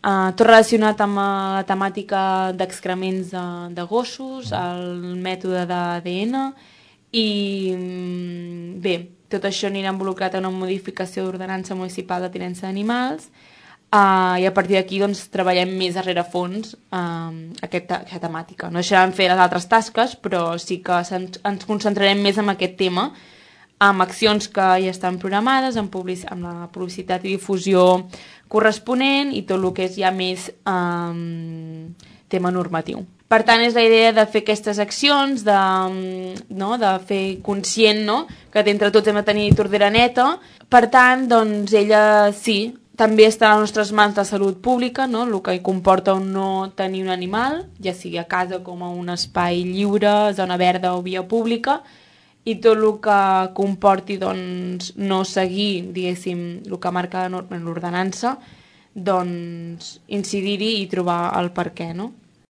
tot relacionat amb la temàtica d'excrements de gossos, el mètode d'ADN i bé, tot això anirà involucrat en una modificació d'ordenança municipal de tinença d'animals i a partir d'aquí doncs, treballem més a rerefons aquesta temàtica. No deixarem fer les altres tasques, però sí que ens concentrarem més en aquest tema, amb accions que ja estan programades, amb la publicitat i difusió corresponent i tot el que és ja més tema normatiu. Per tant, és la idea de fer aquestes accions, de fer conscient que entre tots hem de tenir tordera neta. Per tant, doncs, ella sí, també està a les nostres mans la salut pública, el que comporta o no tenir un animal, ja sigui a casa com a un espai lliure, zona verda o via pública, i tot el que comporti doncs, no seguir, diguéssim, el que marca en l'ordenança, doncs incidir-hi i trobar el per què, no?